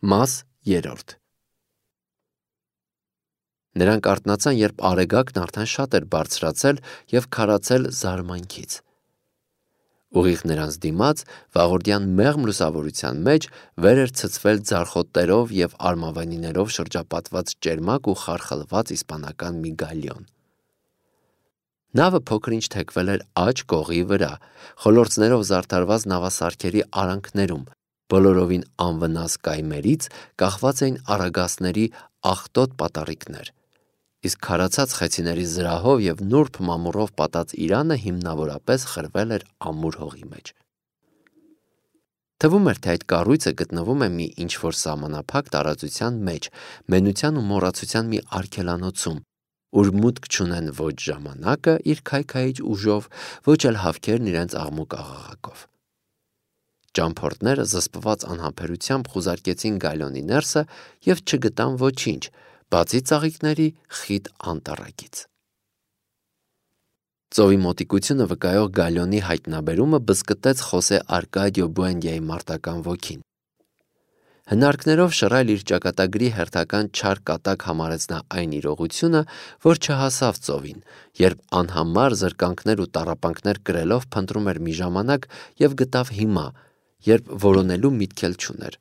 Մաս 3 Նրանք արթնացան, երբ արեգակն արդեն շատ էր բարձրացել և քարացել զարմանքից։ Ուղիղ նրանց դիմաց, վաղորդյան մեղմ լուսավորության մեջ, վեր էր ցցվել ձարխոտներով և արմավենիներով շրջապատված ճերմակ ու խարխլված իսպանական մի գալիոն։ Նավը փոքր-ինչ թեքվել էր աջ կողի վրա, խոլորձներով զարդարված նավասարքերի արանքներում, բոլորովին անվնաս կայմերից կախված էին արագածների աղտոտ պատառիկներ, իսկ քարացած խեցիների զրահով և նուրբ մամուռով պատած իրանը հիմնավորապես խրվել էր ամուր հողի մեջ։ Թվում էր, թե այդ կառույցը գտնվում է մի ինչ-որ սահմանափակ տարածության մեջ, մենության ու մոռացության մի արգելանոցում, ուր մուտք չունեն ոչ ժամանակը իր քայքայիչ ուժով, ոչ էլ հավքերն իրենց աղմուկ աղաղակով։ Ճամփորդները զսպված անհամբերությամբ խուզարկեցին գալիոնի ներսը և չգտան ոչինչ, բացի ծաղիկների խիտ անտառակից։ Ծովի մոտիկությունը վկայող գալիոնի հայտնաբերումը բզկտեց Խոսե Արկադիո Բուենդիայի մարտական ոգին։ Հնարքներով շռայլ իր ճակատագրի հերթական չար կատակ համարեց նա այն իրողությունը, որ չհասավ ծովին, երբ անհամար զրկանքներ ու տառապանքներ կրելով փնտրում էր մի ժամանակ և գտավ հիմա, երբ որոնելու միտք էլ չուներ։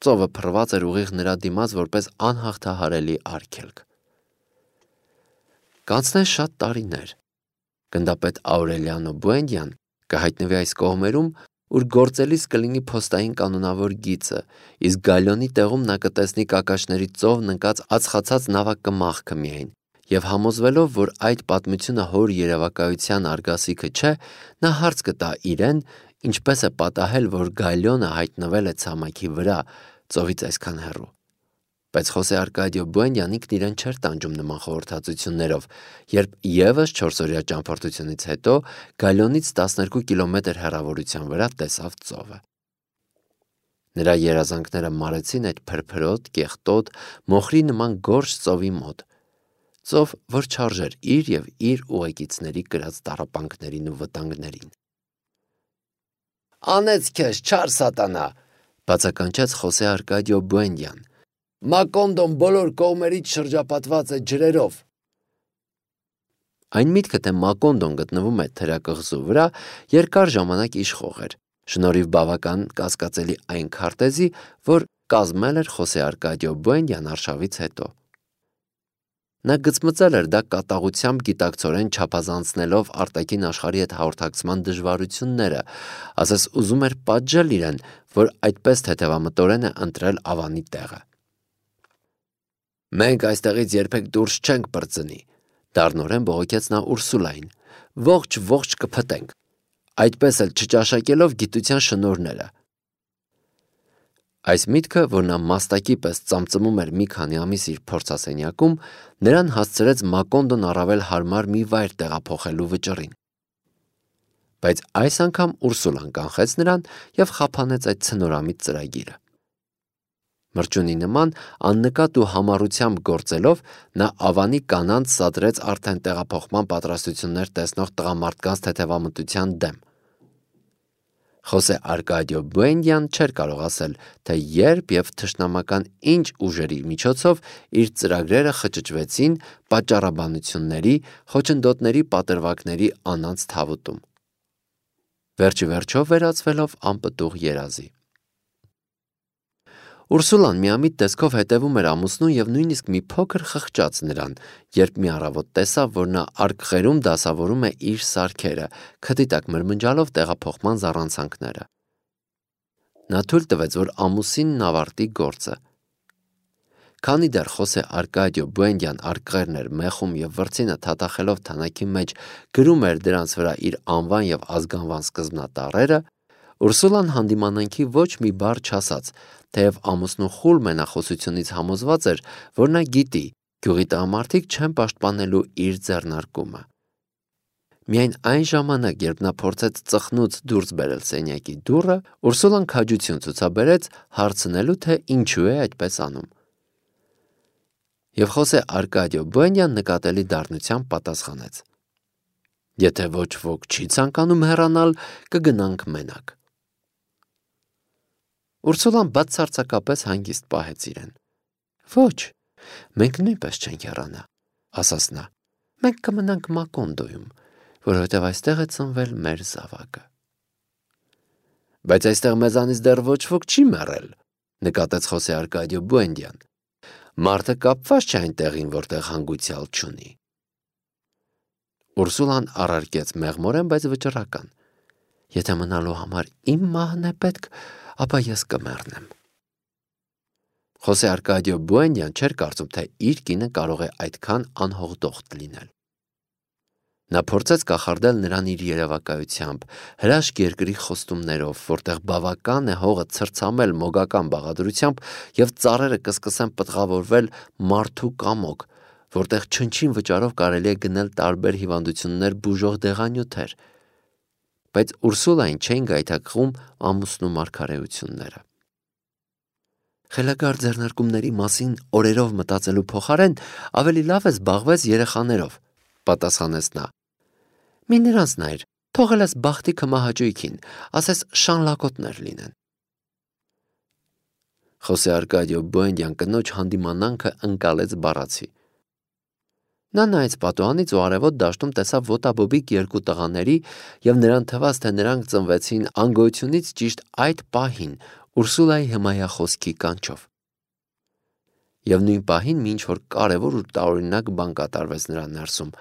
Ծովը փռված էր ուղիղ նրա դիմաց որպես անհաղթահարելի արգելք։ Կանցնեն շատ տարիներ։ Գնդապետ Աուրելիանո Բուենդիան կհայտնվի այս կողմերում, ուր գործելիս կլինի փոստային կանոնավոր գիծը, իսկ գալիոնի տեղում նա կտեսնի կակաշների ծովն ընկած ածխացած նավակմախքը միայն, և համոզվելով, որ այդ պատմությունը հոր երևակայության արգասիքը չէ, նա հարց կտա իրեն, ինչպես է պատահել, որ գալիոնը հայտնվել է ցամաքի վրա, ծովից այսքան հեռու։ Բայց Խոսե Արկադիո Բուենդիան ինքն իրեն չէր տանջում նման խորհրդածություններով, երբ ևս 4-օրյա ճամփորդությունից հետո գալիոնից 12 կիլոմետր հեռավորության վրա տեսավ ծովը։ Նրա երազանքները մարեցին այդ փրփրոտ, կեղտոտ, մոխրի նման գորշ ծովի մոտ, ծով, որ չարժեր իր և իր ուղեկիցների կրած տառապանքներին ու վտանգներին։ «Անեց քեզ, չար սատանա», բացականչեց Խոսե Արկադիո Բուենդիան։ «Մակոնդոն բոլոր կողմերից շրջապատված է ջրերով»։ Այն միտքը, թե Մակոնդոն գտնվում է թերակղզու վրա, երկար ժամանակ իշխող էր, շնորհիվ բավական կասկածելի այն քարտեզի, որ կազմել էր Խոսե Արկադիո Բուենդիան արշավից հետո։ Նա գծմծել էր դա կատաղությամբ գիտակցորեն չափազանցնելով արտաքին աշխարհի հետ հաղորդակցման դժվարությունները, ասես ուզում էր պատժել իրեն, որ այդպես թեթևամտորեն է ընտրել ավանի տեղը։ «Մենք այստեղից երբեք դուրս չենք պրծնի», դառնորեն բողոքեց նա Ուրսուլային, «ողջ կփտենք, այդպես էլ չճաշակելով գիտության շնորհները»։ Այս միտքը, որ նա մաստակի պես ծամծմում էր մի քանի ամիս իր փորձասենյակում, նրան հասցրեց Մակոնդոն առավել հարմար մի վայր տեղափոխելու վճռին։ Բայց այս անգամ Ուրսուլան կանխեց նրան և խափանեց այդ ցնորամիտ ծրագիրը։ Մրջյունի նման աննկատ ու համառությամբ գործելով, նա ավանի կանանց սադրեց արդեն տեղափոխման պատրաստություններ տեսնող տղամարդկանց թեթևամտության դեմ։ Խոսե Արկադիո Բուենդիան չէր կարող ասել, թե երբ և թշնամական ինչ ուժերի միջոցով իր ծրագրերը խճճվեցին պատճառաբանությունների, խոչընդոտների պատրվակների անանց թավուտում, վերջիվերջով վերածվելով անպտուղ երազի։ Ուրսուլան միամիտ տեսքով հետևում էր ամուսնուն և նույնիսկ մի փոքր խղճաց նրան, երբ մի առավոտ տեսավ, որ նա արկղերում դասավորում է իր սարքերը, քթի տակ մրմնջալով տեղափոխման զառանցանքները։ Նա թույլ տվեց, որ ամուսինն ավարտի գործը։ Քանի դեռ Խոսե Արկադիո Բուենդիան արկղերն էր մեխում և վրձինը թաթախելով թանաքի մեջ գրում էր դրանց վրա իր անվան և ազգանվան սկզբնատառերը, Ուրսուլան հանդիմանանքի ոչ մի բառ չասաց, թեև ամուսնու խուլ մենախոսությունից համոզված էր, որ նա գիտի, գյուղի տղամարդիկ չեն պաշտպանելու իր ձեռնարկումը։ Միայն այն ժամանակ, երբ նա փորձեց ծխնուց դուրս բերել սենյակի դուռը, Ուրսուլան քաջություն ցուցաբերեց հարցնելու, թե ինչու է այդպես անում։ Եվ Խոսե Արկադիո Բուենդիան նկատելի դառնությամբ պատասխանեց. «Եթե ոչ ոք չի ցանկանում հեռանալ, կգնանք մենակ»։ Ուրսուլան բացարձակապես հանգիստ պահեց իրեն։ Ոչ, մենք նույնպես չենք հեռանա, ասաց նա։ Մենք կմնանք Մակոնդոյում, որովհետև այստեղ է ծնվել մեր զավակը։ Բայց այստեղ մեզանից դեռ ոչ ոք չի մեռել, նկատեց Խոսե Արկադիո Բուենդյան։ Մարդը կապված չէ այն տեղին, որտեղ հանգուցյալ չունի։ Ուրսուլան առարկեց մեղմորեն, բայց վճռական։ Եթե մնալու համար իմ մահն է պետք, ապա ես կմեռնեմ։ Խոսե Արկադիո Բուենդյան չէր կարծում, թե իր կինը կարող է այդքան անհողդողտ լինել։ Նա փորձեց կախարդել նրան իր երևակայությամբ, հրաշք երկրի խոստումներով, որտեղ բավական է հողը ցրցամել մոգական բաղադրությամբ և ծառերը կսկսեն պտղավորվել մարդու կամոք, որտեղ չնչին վճարով կարելի է գնել տարբեր հիվանդություններ բուժող դեղանյութեր, բայց Ուրսուլային չէին գայթակղում ամուսնու մարգարեությունները։ Խելագար ձեռնարկումների մասին օրերով մտածելու փոխարեն ավելի լավ է զբաղվես երեխաներով, պատասխանեց նա։ Մի նրանց նայր, թողել ես բախտի քմահաճույքին, ասես շանլակոտներ լինեն։ Խոսե Արկադիո Բուենդյան կնոջ հանդիմանանքը ընկալեց բառացի։ Նա նայեց պատուհանից ու արևոտ դաշտում տեսավ ոտաբոբիկ երկու տղաների և նրան թվաց, թե նրանք ծնվեցին անգոյությունից ճիշտ այդ պահին Ուրսուլայի հմայախոսքի կանչով։ Եվ նույն պահին մի ինչ-որ կարևոր ու տարօրինակ բան կատարվեց նրա ներսում,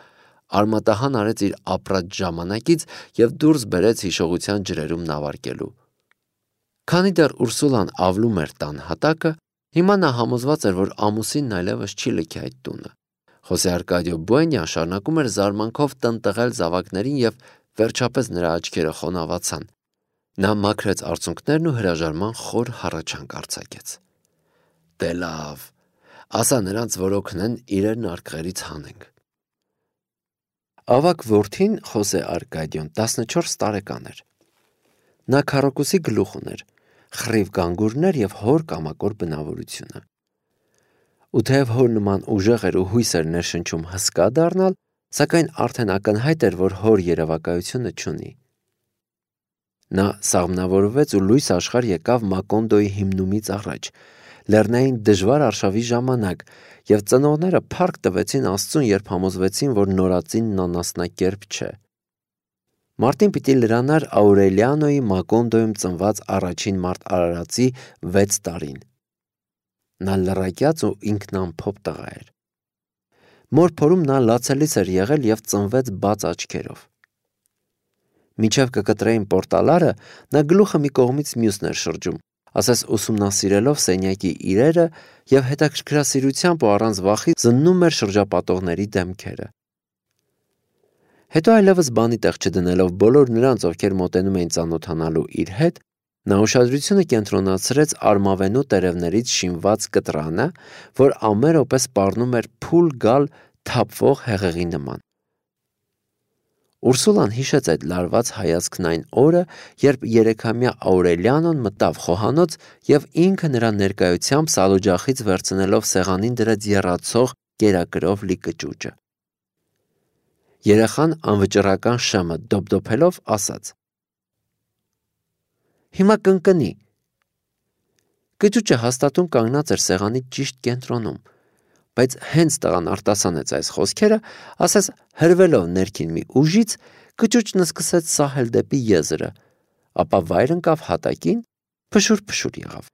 արմատահան արեց իր ապրած ժամանակից և դուրս բերեց հիշողության ջրերում նավարկելու։ Քանի դեռ Ուրսուլան ավլում էր տան հատակը, հիմա նա համոզված էր, որ ամուսինն այլևս չի լքի այդ տունը։ Խոսե Արկադիո Բուենդյան շարունակում էր զարմանքով տնտղել զավակներին և վերջապես նրա աչքերը խոնավացան։ Նա մաքրեց արցունքներն ու հրաժարման խոր հառաչանք արձակեց։ Դե լավ, ասա նրանց, որ օգնեն իրերն արկղերից հանենք։ Ավագ որդին Խոսե Արկադիոն 14 տարեկան էր։ Նա քառակուսի գլուխ ուներ, խռիվ գանգուրներ և հոր կամակոր բնավորությունը։ Ու թեև հոր նման ուժեղ էր ու հույս էր ներշնչում հսկա դառնալ, սակայն արդեն ակնհայտ էր, որ հոր երևակայությունը չունի։ Նա սաղմնավորվեց ու լույս աշխարհ եկավ Մակոնդոյի հիմնումից առաջ, լեռնային դժվար արշավի ժամանակ, և ծնողները փառք տվեցին Աստծուն, երբ համոզվեցին, որ նորածինն անասնակերպ չէ։ Մարտին պիտի լրանար Աուրելիանոյի Մակոնդոյում ծնված առաջին մարդ արարածի 6 տարին։ Նա լռակյաց ու ինքնամփոփ տղա էր։ Մոր փորում նա լացելիս էր եղել և ծնվեց բաց աչքերով։ Մինչև կկտրեին պորտալարը, նա գլուխը մի կողմից մյուսն էր շրջում, ասես ուսումնասիրելով սենյակի իրերը և հետաքրքրասիրությամբ ու առանց վախի զննում էր շրջապատողների դեմքերը։ Հետո այլևս բանի տեղ չդնելով բոլոր նրանց, ովքեր մոտենում էին ծանոթանալու իր հետ, նա ուշադրությունը կենտրոնացրեց արմավենու տերևներից շինված կտրանը, որ ամեն րոպե սպառնում էր փուլ գալ թափվող հեղեղի նման։ Ուրսուլան հիշեց այդ լարված հայացքն այն օրը, երբ 3-ամյա Աուրելիանոն մտավ խոհանոց և ինքը նրա ներկայությամբ սալօջախից վերցնելով սեղանին դրեց եռացող կերակրով լի կճուճը։ Երեխան անվճռական շեմը դոփդոփելով ասաց. Հիմա կընկնի։ Կճուճը հաստատուն կանգնած էր սեղանի ճիշտ կենտրոնում, բայց հենց տղան արտասանեց այս խոսքերը, ասես հրվելով ներքին մի ուժից, կճուճն սկսեց սահել դեպի եզրը, ապա վայր ընկավ հատակին, փշուր-փշուր եղավ։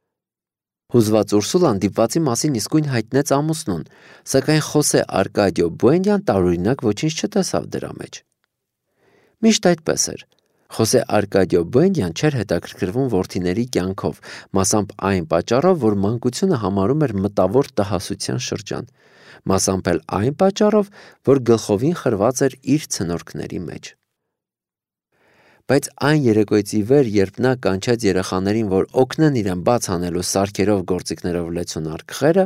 Հուզված Ուրսուլան դիպվածի մասին իսկույն հայտնեց ամուսնուն, սակայն Խոսե Արկադիո Բուենդյան տարօրինակ ոչինչ չտեսավ դրա մեջ։ Միշտ այդպես էր։ Խոսե Արկադիո Բուենդյան չէր հետաքրքրվում որդիների կյանքով, մասամբ այն պատճառով, որ մանկությունը համարում էր մտավոր տհասության շրջան, մասամբ էլ այն պատճառով, որ գլխովին խրված էր իր ցնորքների մեջ։ Բայց այն երեկոյից ի վեր, երբ նա կանչեց երեխաներին, որ օգնեն իրեն բաց անելու սարքերով գործիքներով լեցուն արկղերը,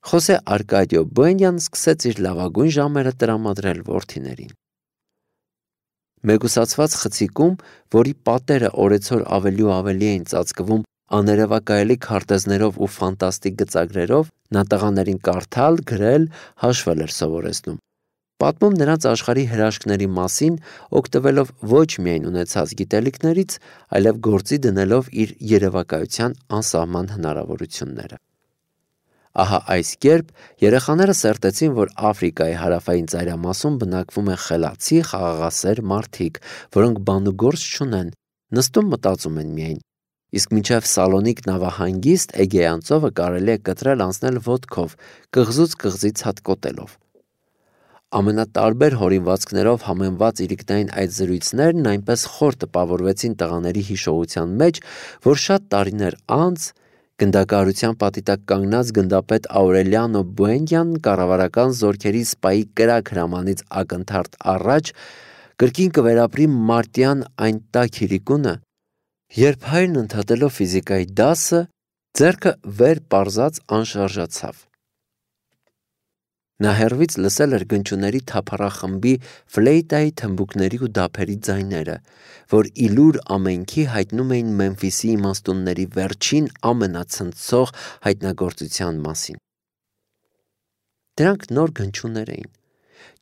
Խոսե Արկադիո Բուենդյան սկսեց իր լավագույն ժամերը տրամադրել որդիներին։ Մեկուսացված խցիկում, որի պատերը օրեցօր ավելի ու ավելի էին ծածկվում աներևակայելի քարտեզներով ու ֆանտաստիկ գծագրերով, նա տղաներին կարդալ, գրել, հաշվել էր սովորեցնում։ պատմում նրանց աշխարհի հրաշքների մասին, օգտվելով ոչ միայն ունեցած գիտելիքներից, այլև գործի դնելով իր երևակայության անսահման հնարավորությունները։ Ահա այս կերպ երեխաները սերտեցին, որ Աֆրիկայի հարավային ծայրամասում բնակվում են խելացի, խաղաղասեր մարդիկ, որոնք բան ու գործ չունեն, նստում մտածում են միայն։ Իսկ մինչև Սալոնիկ նավահանգիստ Էգեյան ծովը կարելի է կտրել անցնել ոտքով, կղզուց կղզի ցատկոտելով։ Ամենատարբեր հորինվածքներով համեմված իրիկնային այդ զրույցներն այնպես խոր տպավորվեցին տղաների հիշողության մեջ, որ շատ տարիներ անց գնդակահարության պատի տակ կանգնած գնդապետ Աուրելիանո Բուենդյանն կառավարական զորքերի սպայի կրակ հրամանից ակնթարթ առաջ կրկին կվերապրի մարտյան այն տաք իրիկունը, երբ հայրն ընդհատելով ֆիզիկայի դասը ձեռքը վեր պարզած անշարժացավ։ Նա հեռվից լսել էր գնչուների թափառախմբի ֆլեյտայի թմբուկների ու դափերի ձայները, որ իլուր ամենքի հայտնում էին Մեմֆիսի իմաստունների վերջին ամենացնցող հայտնագործության մասին։ Դրանք նոր գնչուներ էին։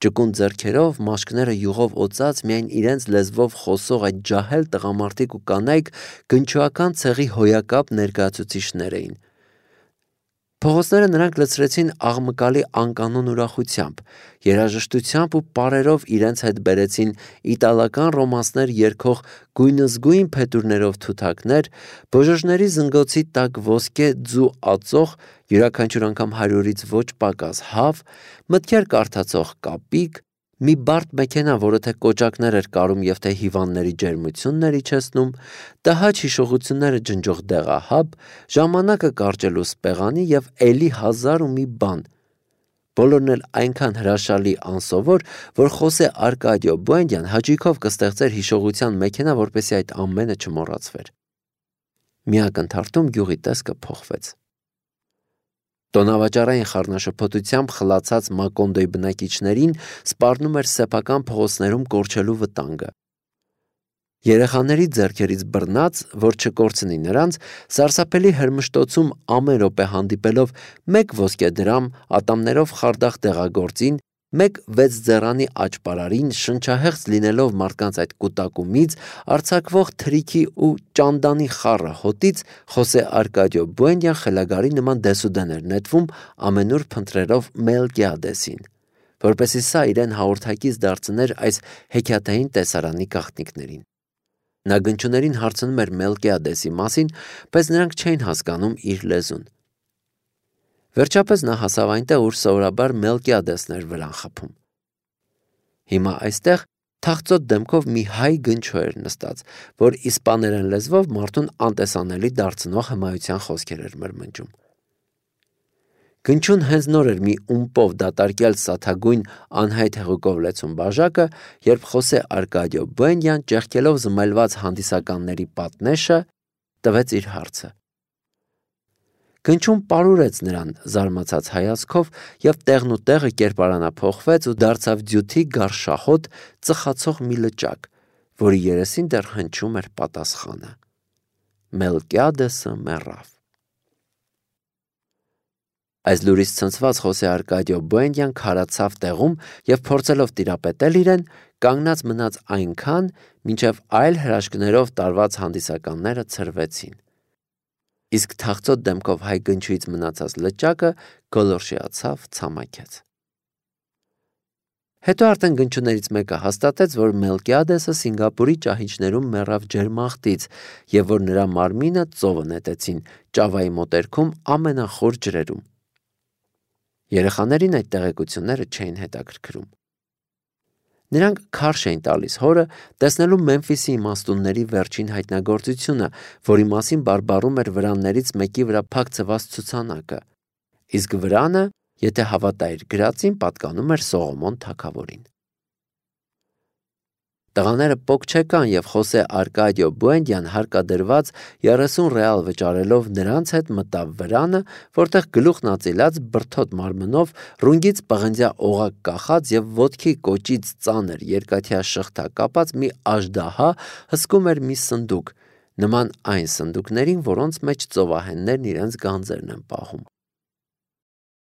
Ճկուն ձեռքերով, մաշկները յուղով օծած, միայն իրենց լեզվով խոսող այդ ջահել տղամարդիկ ու կանայք գնչուական ցեղի հոյակապ ներկայացուցիչներ էին։ Փողոցները նրանք լցրեցին աղմկալի անկանոն ուրախությամբ, երաժշտությամբ ու պարերով իրենց հետ բերեցին իտալական ռոմանսներ երգող գույնզգույն փետուրներով թութակներ, բոժոժների զնգոցի տակ ոսկե ձու ածող, յուրաքանչյուր անգամ 100-ից ոչ պակաս հավ, մտքեր կարդացող կապիկ, մի բարդ մեքենա, որը թե կոճակներ էր կարում և թե հիվանդների ջերմություններ իջեցնում, տհաճ հիշողությունները ջնջող դեղահաբ, ժամանակը կարճելու սպեղանի և էլի 1000 ու մի բան։ Բոլորն էլ այնքան հրաշալի անսովոր, որ Խոսե Արկադիո Բուենդյան հաճույքով կստեղծեր հիշողության մեքենա, որպեսզի այդ ամենը չմոռացվեր։ Մի ակնթարթում գյուղի տեսքը փոխվեց։ Տոնավաճառային խառնաշփոթությամբ խլացած Մակոնդոյի բնակիչներին սպառնում էր սեփական փողոցներում կորչելու վտանգը։ Երեխաների ձեռքերից բռնած, որ չկորցնի նրանց, սարսափելի հրմշտոցում ամեն րոպե հանդիպելով մեկ ոսկե դրամ, ատամներով խարդախ դեղագործին, մեկ 6 ձեռանի աճպարարին, շնչահեղձ լինելով մարդկանց այդ կուտակումից, արձակվող թրիքի ու ճանդանի խառը հոտից, Խոսե Արկադիո Բուենդյան խելագարի նման դեսուդեն էր նետվում ամենուր փնտրելով Մելկիադեսին, որպեսզի սա իրեն հաղորդակից դարձներ այս հեքիաթային տեսարանի գաղտնիքներին։ Նա գնչուներին հարցնում էր Մելկիադեսի մասին, բայց նրանք չէին հասկանում իր լեզուն։ Վերջապես նա հասավ այնտեղ, ուր սովորաբար Մելկիադեսն էր վրան խփում։ Հիմա այստեղ թախծոտ դեմքով մի հայ գնչու էր նստած, որ իսպաներեն լեզվով մարդուն անտեսանելի դարձնող հմայության խոսքեր էր մրմնջում։ Գնչուն հենց նոր էր մի ումպով դատարկյալ սաթագույն անհայտ հեղուկով լեցուն բաժակը, երբ Խոսե Արկադիո Բուենդյան, ճեղքելով զմայլված հանդիսականների պատնեշը, տվեց իր հարցը։ Գնչուն պարուրեց նրան զարմացած հայացքով և տեղնուտեղը կերպարանափոխվեց ու դարձավ ձյութի գարշահոտ ծխացող մի լճակ, որի երեսին դեռ հնչում էր պատասխանը. Մելկիադեսը մեռավ։ Այս լուրից ցնցված Խոսե Արկադիո Բուենդյան քարացավ տեղում և փորձելով տիրապետել իրեն, կանգնած մնաց այնքան, մինչև այլ հրաշքներով տարված հանդիսականները ցրվեցին։ Իսկ թախծոտ դեմքով հայ գնչուից մնացած լճակը գոլորշիացավ, ցամաքեց։ Հետո արդեն գնչուներից մեկը հաստատեց, որ Մելկիադեսը Սինգապուրի ճահիճներում մեռավ ջերմախտից և որ նրա մարմինը ծովը նետեցին Ճավայի մոտերքում ամենախոր ջրերում։ Երեխաներին այդ տեղեկությունները չէին հետաքրքրում։ Նրանք քարշ էին տալիս հորը, տեսնելու Մեմֆիսի իմաստունների վերջին հայտնագործությունը, որի մասին բարբառում էր վրաններից մեկի վրա փակցված ցուցանակը, իսկ վրանը, եթե հավատա իր գրածին, պատկանում էր Սողոմոն թագավորին։ Տղաները պոկ չեկան և Խոսե Արկադիո Բուենդյան հարկադրված 30 ռեալ վճարելով նրանց հետ մտավ վրանը, որտեղ գլուխն ածիլած բրդոտ մարմնով, ռունգից պղնձյա օղակ կախած և ոտքի կոճից ծանր երկաթյա շղթա կապած մի աժդահա հսկում էր մի սնդուկ, նման այն սնդուկներին, որոնց մեջ ծովահեններն իրենց գանձերն են պահում։